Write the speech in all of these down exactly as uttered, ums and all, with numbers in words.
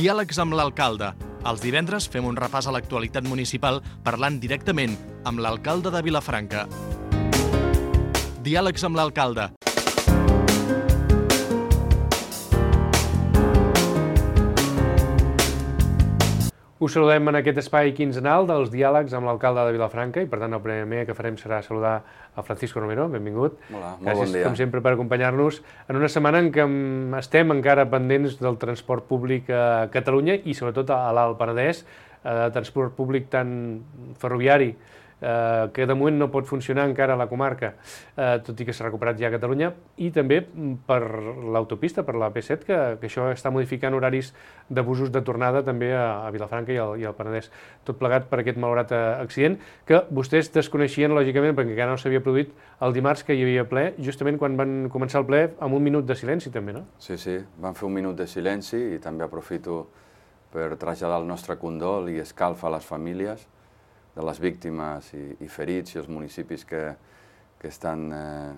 Diàlegs amb l'alcalde. Els divendres fem un repàs a l'actualitat municipal parlant directament amb l'alcalde de Vilafranca. Diàlegs amb l'alcalde. Us saludem en aquest espai quinzenal dels diàlegs amb l'alcalde de Vilafranca i, per tant, el primer que farem serà saludar a Francisco Romero. Benvingut. Hola, molt Gràcies, bon dia. com sempre, per acompanyar-nos en una setmana en què estem encara pendents del transport públic a Catalunya i, sobretot, a l'Alt Penedès, eh, transport públic tant ferroviari, eh, que de moment no pot funcionar encara a la comarca, eh, tot i que s'ha recuperat ja a Catalunya, i també per l'autopista, per la P set, que, que això està modificant horaris d'abusos de tornada també a, a Vilafranca i al, i al Penedès. Tot plegat per aquest malaurat accident, que vostès desconeixien, lògicament, perquè encara no s'havia produït el dimarts que hi havia ple, justament quan van començar el ple amb un minut de silenci també, no? Sí, sí, vam fer un minut de silenci i també aprofito per traslladar el nostre condol i escalf a les famílies de les víctimes i, i ferits i els municipis que, que estan eh,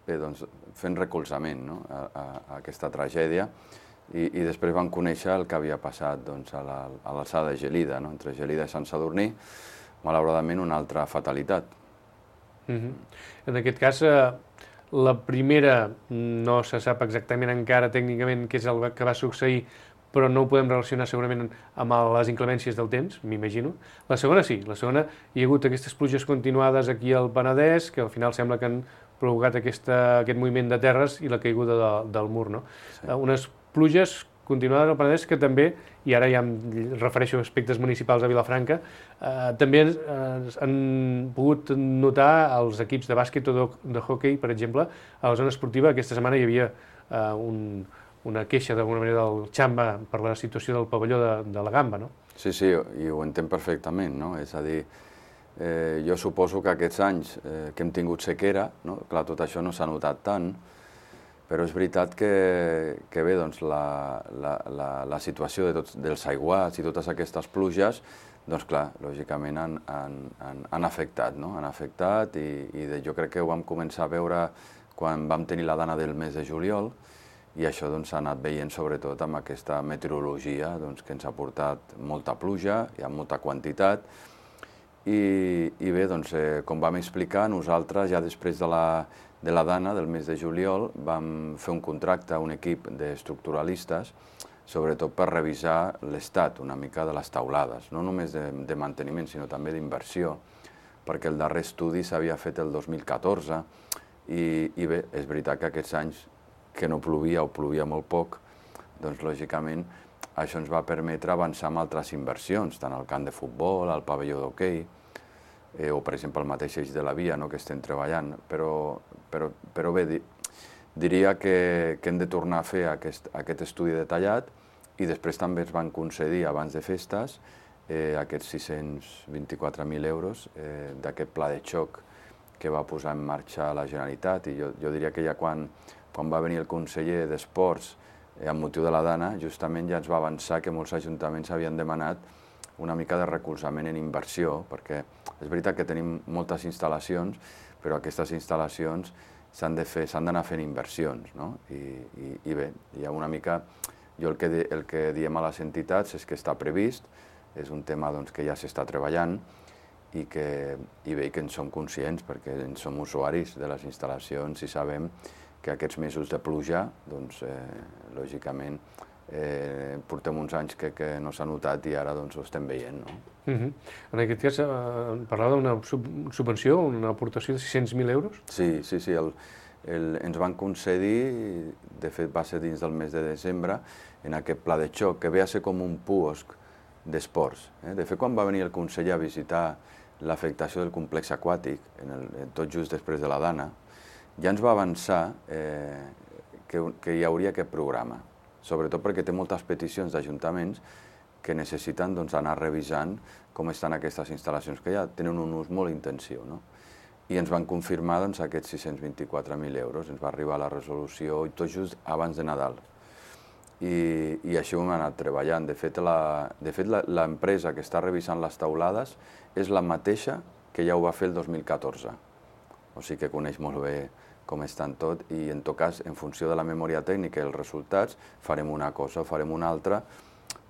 bé, doncs, fent recolzament, no? a, a, a aquesta tragèdia. I, i després vam conèixer el que havia passat doncs, a l'alçada la, de Gelida, no? Entre Gelida i Sant Sadurní, malauradament una altra fatalitat. Mm-hmm. En aquest cas, eh, la primera no se sap exactament encara tècnicament què és el que va succeir, però no ho podem relacionar segurament amb les inclemències del temps, m'imagino. La segona sí, la segona hi ha hagut aquestes pluges continuades aquí al Penedès, que al final sembla que han provocat aquesta, aquest moviment de terres i la caiguda de, del mur, no? Sí. Unes pluges continuades al Penedès que també, i ara ja em refereixo a aspectes municipals de Vilafranca, eh, també eh, han pogut notar els equips de bàsquet o de, de hoquei, per exemple, a la zona esportiva. Aquesta setmana hi havia eh, un... una queixa d'alguna manera del Xamba per la situació del pavelló de, de la Gamba, no? Sí, sí, i ho entenc perfectament, no? És a dir, eh, jo suposo que aquests anys eh, que hem tingut sequera, no? Clar, tot això no s'ha notat tant, però és veritat que, que bé, doncs la, la, la, la situació de tots, dels aiguats i totes aquestes pluges, doncs clar, lògicament han, han, han, han afectat, no? Han afectat i, i de, jo crec que ho vam començar a veure quan vam tenir la dana del mes de juliol, i això doncs, s'ha anat veient sobretot amb aquesta meteorologia doncs, que ens ha portat molta pluja, hi ha molta quantitat, i, i bé, doncs, eh, com vam explicar, nosaltres ja després de la, de la dana del mes de juliol vam fer un contracte a un equip d'estructuralistes, sobretot per revisar l'estat una mica de les taulades, no només de, de manteniment, sinó també d'inversió, perquè el darrer estudi s'havia fet el dos mil catorze, i, i bé, és veritat que aquests anys que no plovia o plovia molt poc, doncs lògicament això ens va permetre avançar amb altres inversions, tant al camp de futbol, al pavelló d'hoquei, eh, o per exemple el mateix eix de la via, no?, que estem treballant, però, però, però bé, di, diria que, que hem de tornar a fer aquest, aquest estudi detallat i després també es van concedir abans de festes eh, aquests sis-cents vint-i-quatre mil euros eh, d'aquest pla de xoc que va posar en marxa la Generalitat, i jo, jo diria que ja quan quan va venir el conseller d'Esports eh, amb motiu de la dana, justament ja ens va avançar que molts ajuntaments havien demanat una mica de recolzament en inversió, perquè és veritat que tenim moltes instal·lacions, però aquestes instal·lacions s'han de fer, s'han d'anar fent inversions, no? I, i, i bé, hi ha una mica, jo el que, el que diem a les entitats és que està previst, és un tema doncs, que ja s'està treballant, i que i bé, que en som conscients, perquè en som usuaris de les instal·lacions i sabem que aquests mesos de pluja, doncs, eh, lògicament, eh, portem uns anys que, que no s'ha notat i ara doncs, ho estem veient, no? Uh-huh. En aquest cas, eh, parlava d'una sub subvenció, una aportació de sis-cents mil euros? Sí, sí, sí. El, el, ens van concedir, de fet va ser dins del mes de desembre, en aquest pla de xoc, que ve a ser com un puosc d'esports. Eh? De fet, quan va venir el conseller a visitar l'afectació del complex aquàtic, en el, tot just després de la dana, ja ens va avançar eh, que, que hi hauria aquest programa, sobretot perquè té moltes peticions d'ajuntaments que necessiten doncs, anar revisant com estan aquestes instal·lacions, que ja tenen un ús molt intensiu, no? I ens van confirmar doncs, aquests sis-cents vint-i-quatre mil euros, ens va arribar la resolució tot just abans de Nadal. I, i així ho hem anat treballant. De fet, l'empresa que està revisant les taulades és la mateixa que ja ho va fer el dos mil catorze. O sigui que coneix molt bé com estan tot, i en tot cas, en funció de la memòria tècnica i els resultats, farem una cosa o farem una altra,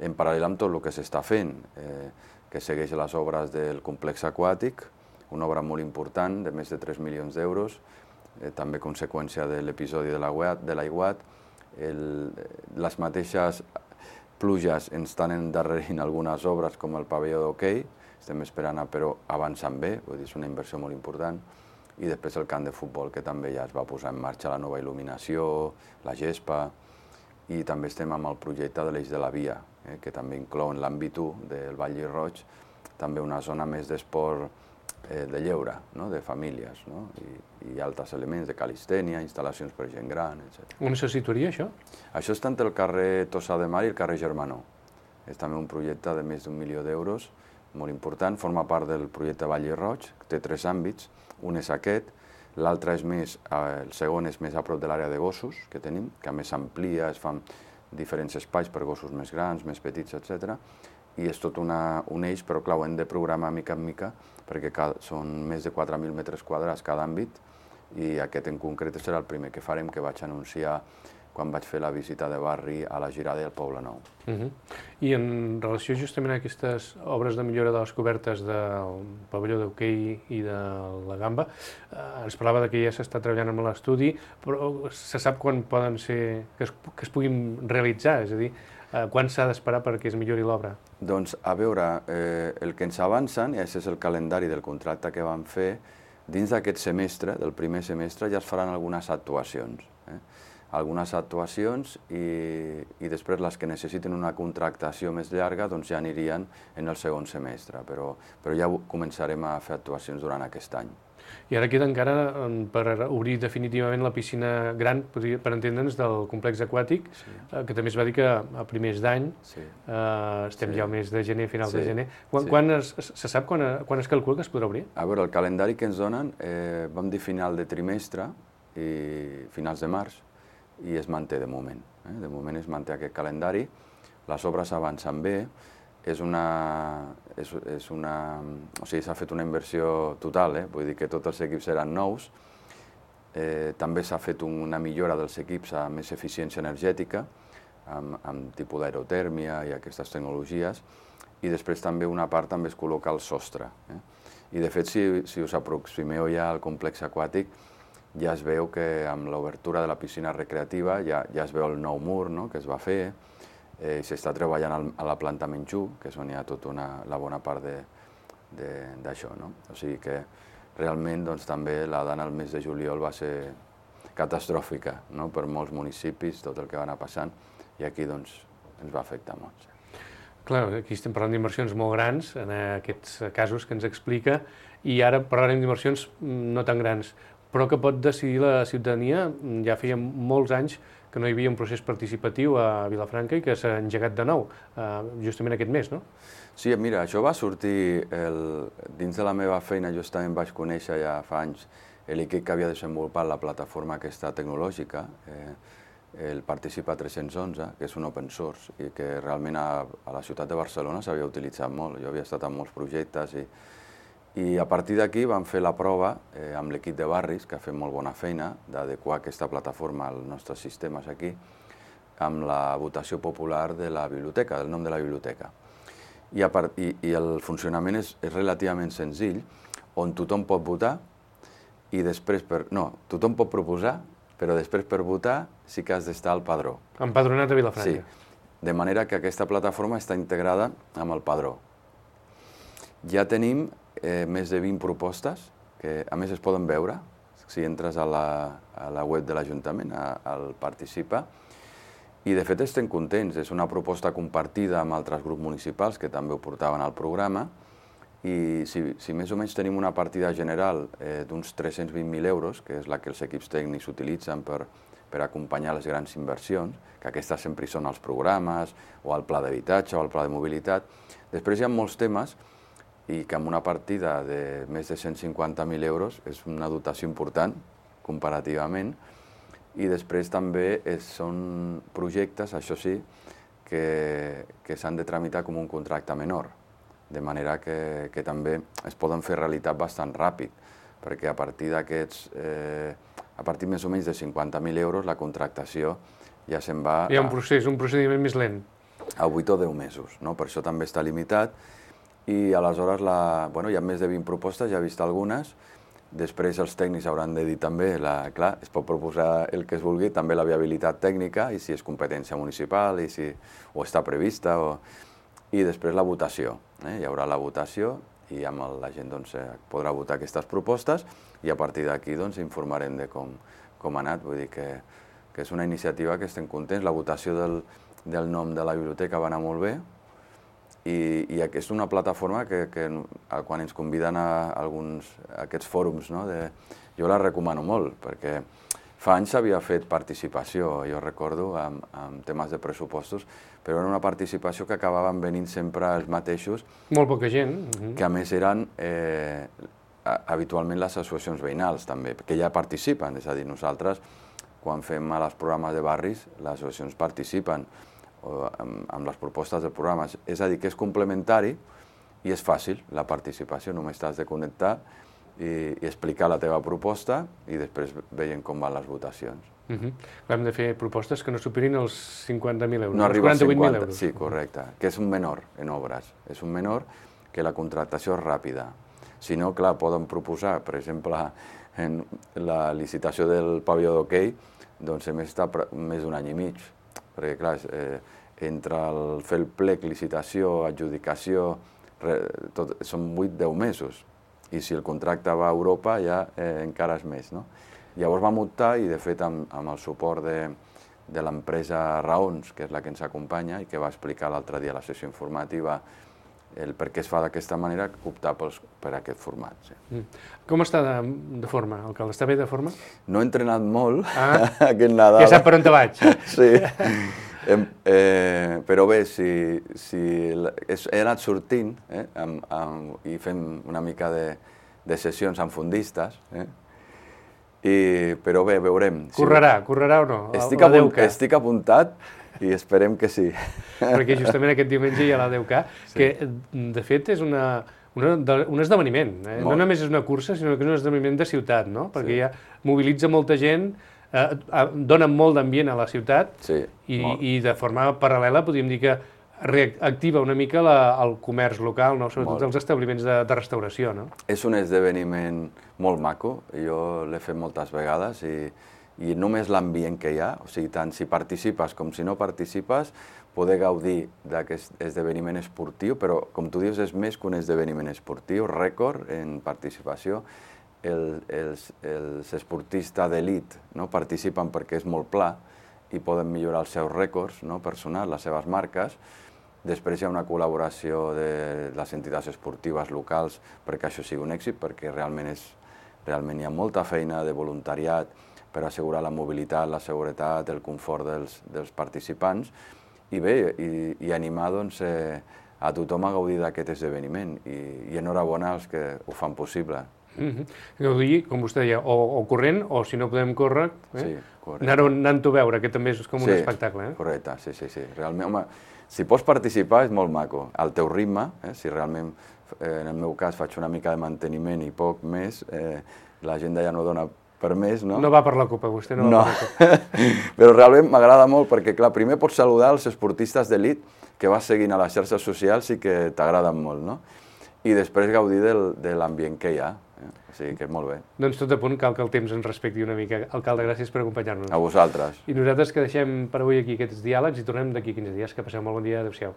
en paral·lel amb tot el que s'està fent, eh, que segueix les obres del complex aquàtic, una obra molt important de més de tres milions d'euros, eh, també conseqüència de l'episodi de l'aiguat. Les mateixes pluges ens estan endarrerint algunes obres com el pavelló d'hoquei, estem esperant a però avançant bé, vull dir, és una inversió molt important, i després el camp de futbol, que també ja es va posar en marxa la nova il·luminació, la gespa, i també estem amb el projecte de l'Eix de la Via, eh, que també inclou en l'àmbit u del Vall Roig també una zona més d'esport eh, de lleure, no? De famílies, no? I, i altres elements de calistènia, instal·lacions per gent gran, etcètera. On se situaria això? Això està entre el carrer Tossa de Mar i el carrer Germanó. És també un projecte de més d'un milió d'euros, molt important, forma part del projecte Vall Roig, té tres àmbits, un és aquest, l'altre és més, el segon és més a prop de l'àrea de gossos que tenim, que a més s'amplia, es fan diferents espais per gossos més grans, més petits, etcètera. I és tot una, un eix, però clar, ho hem de programar mica en mica, perquè cada, són més de quatre mil metres quadrats cada àmbit, i aquest en concret serà el primer que farem, que vaig anunciar quan vaig fer la visita de barri a la Girada i al Poble Nou. Uh -huh. I en relació justament a aquestes obres de millora de les cobertes del pavelló d'hoquei i de la Gamba, eh, ens parlava de que ja s'està treballant amb l'estudi, però se sap quan poden ser, que es, que es puguin realitzar, és a dir, eh, quan s'ha d'esperar perquè es millori l'obra? Doncs, a veure, eh, el que ens avancen, i aquest és el calendari del contracte que vam fer, dins d'aquest semestre, del primer semestre, ja es faran algunes actuacions. Eh? algunes actuacions i, i després les que necessiten una contractació més llarga doncs ja anirien en el segon semestre, però, però ja començarem a fer actuacions durant aquest any. I ara queda encara per obrir definitivament la piscina gran, per entendre'ns, del complex aquàtic, sí. eh, que també es va dir que a primers d'any, sí. eh, estem sí. ja al mes de gener, final sí. de gener. Quan, sí. quan es, se sap quan, quan es calcula que es podrà obrir? A veure, el calendari que ens donen, eh, vam dir final de trimestre i finals de març, i es manté de moment. Eh? De moment es manté aquest calendari, les obres avancen bé, és una... És, és una o sigui, s'ha fet una inversió total, eh? Vull dir que tots els equips seran nous. Eh, també s'ha fet una millora dels equips a més eficiència energètica, amb, amb tipus d'aerotèrmia i aquestes tecnologies, i després també una part també es col·loca al sostre. Eh? I de fet, si, si us aproximeu ja al complex aquàtic, ja es veu que amb l'obertura de la piscina recreativa ja, ja es veu el nou mur, no?, que es va fer, eh, s'està treballant al, a la planta Menjú, que és on hi ha tota una, la bona part d'això, no? O sigui que realment doncs, també la dana al mes de juliol va ser catastròfica, no?, per molts municipis, tot el que va anar passant, i aquí doncs, ens va afectar molt. Sí. Clar, aquí estem parlant d'inversions molt grans, en aquests casos que ens explica, i ara parlarem d'inversions no tan grans, però que pot decidir la ciutadania. Ja feia molts anys que no hi havia un procés participatiu a Vilafranca i que s'ha engegat de nou, justament aquest mes, no? Sí, mira, això va sortir, el... dins de la meva feina, justament vaig conèixer ja fa anys l'equip que havia desenvolupat la plataforma aquesta tecnològica, eh, el Participa tres-cents onze, que és un open source i que realment a, a la ciutat de Barcelona s'havia utilitzat molt. Jo havia estat en molts projectes i I a partir d'aquí vam fer la prova eh, amb l'equip de barris, que ha fet molt bona feina, d'adequar aquesta plataforma als nostres sistemes aquí, amb la votació popular de la biblioteca, del nom de la biblioteca. I, a part, i, i el funcionament és, és relativament senzill, on tothom pot votar, i després per... No, tothom pot proposar, però després per votar sí que has d'estar al padró. Empadronat a Vilafranca. Sí, de manera que aquesta plataforma està integrada amb el padró. Ja tenim eh, més de vint propostes, que a més es poden veure, si entres a la, a la web de l'Ajuntament, al Participa, i de fet estem contents. És una proposta compartida amb altres grups municipals que també ho portaven al programa, i si, si més o menys tenim una partida general eh, d'uns tres-cents vint mil euros, que és la que els equips tècnics utilitzen per, per acompanyar les grans inversions, que aquestes sempre són els programes, o el pla d'habitatge, o el pla de mobilitat. Després hi ha molts temes i que amb una partida de més de cent cinquanta mil euros és una dotació important, comparativament, i després també és, són projectes, això sí, que, que s'han de tramitar com un contracte menor, de manera que, que també es poden fer realitat bastant ràpid, perquè a partir d'aquests, eh, a partir més o menys de cinquanta mil euros, la contractació ja se'n va... Hi ha un procés, un procediment més lent. a vuit o deu mesos, no? Per això també està limitat. I aleshores la, bueno, hi ha més de vint propostes, ja he vist algunes. Després els tècnics hauran de dir també, la, clar, es pot proposar el que es vulgui, també la viabilitat tècnica i si és competència municipal i si o està prevista. O... I després la votació. Eh? Hi haurà la votació i amb el, la gent doncs, podrà votar aquestes propostes i a partir d'aquí doncs, informarem de com, com ha anat. Vull dir que, que és una iniciativa que estem contents. La votació del, del nom de la biblioteca va anar molt bé i, i és una plataforma que, que quan ens conviden a, alguns, a aquests fòrums, no, de, jo la recomano molt perquè fa anys s'havia fet participació, jo recordo, amb, amb temes de pressupostos, però era una participació que acabaven venint sempre els mateixos. Molt poca gent. Que a més eren eh, habitualment les associacions veïnals també, que ja participen, és a dir, nosaltres quan fem els programes de barris, les associacions participen o amb, amb les propostes dels programes, és a dir, que és complementari i és fàcil la participació, només t'has de connectar i, i explicar la teva proposta i després veiem com van les votacions. Uh -huh. Hem de fer propostes que no superin els cinquanta mil euros, no els quaranta-vuit mil euros. Sí, correcte, que és un menor en obres, és un menor que la contractació és ràpida. Si no, clar, poden proposar, per exemple, en la licitació del pavelló d'hoquei, doncs hem estat més d'un any i mig, perquè clar, eh, entre el fer el plec, licitació, adjudicació, re, tot, són vuit deu mesos, i si el contracte va a Europa ja eh, encara és més, no? Llavors vam optar i de fet amb, amb el suport de, de l'empresa Raons, que és la que ens acompanya i que va explicar l'altre dia a la sessió informativa el per què es fa d'aquesta manera, optar pels, per aquest format. Sí. Mm. Com està de, de forma, alcalde? Està bé de forma? No he entrenat molt ah, aquest Nadal. Ja sap per on te vaig. Sí, eh, però bé, si, si he anat sortint eh, amb, amb, i fem una mica de, de sessions amb fundistes, eh, i, però bé, veurem. Correrà, si... correrà o no? Estic, apunt, estic apuntat i esperem que sí. Perquè justament aquest diumenge hi ha la deu K, sí. que de fet és una, una, un esdeveniment. Eh? No només és una cursa, sinó que és un esdeveniment de ciutat, no? Perquè sí. ja mobilitza molta gent, eh, dona molt d'ambient a la ciutat sí, i, i de forma paral·lela podríem dir que reactiva una mica la, el comerç local, no? Sobretot molt. Els establiments de, de restauració. No? És un esdeveniment molt maco, jo l'he fet moltes vegades i, i només l'ambient que hi ha, o sigui, tant si participes com si no participes, poder gaudir d'aquest esdeveniment esportiu, però com tu dius és més que un esdeveniment esportiu, rècord en participació. El, els, els esportistes d'elit no, participen perquè és molt pla i poden millorar els seus rècords no, personals, les seves marques. Després hi ha una col·laboració de les entitats esportives locals perquè això sigui un èxit, perquè realment, és, realment hi ha molta feina de voluntariat per assegurar la mobilitat, la seguretat, el confort dels, dels participants i bé, i, i animar doncs, eh, a tothom a gaudir d'aquest esdeveniment i, i enhorabona als que ho fan possible. Mm-hmm. Gaudir, com vostè deia, o, o corrent, o si no podem córrer, eh? Sí, anant-ho a veure, que també és com un sí, espectacle. Eh? Correcte, sí, sí, sí. Realment, home, si pots participar és molt maco, al teu ritme, eh? Si realment, eh, en el meu cas, faig una mica de manteniment i poc més, eh, l'agenda ja no dona per més, no? No va per la copa, vostè no va no. per la copa. Però realment m'agrada molt perquè, clar, primer pots saludar els esportistes d'elit que vas seguint a les xarxes socials i que t'agraden molt, no? I després gaudir del, de l'ambient que hi ha. Eh? O sigui que és molt bé. Doncs tot a punt, cal que el temps ens respecti una mica. Alcalde, gràcies per acompanyar-nos. A vosaltres. I nosaltres que deixem per avui aquí aquests diàlegs i tornem d'aquí quinze dies. Que passeu molt bon dia. Adéu-siau.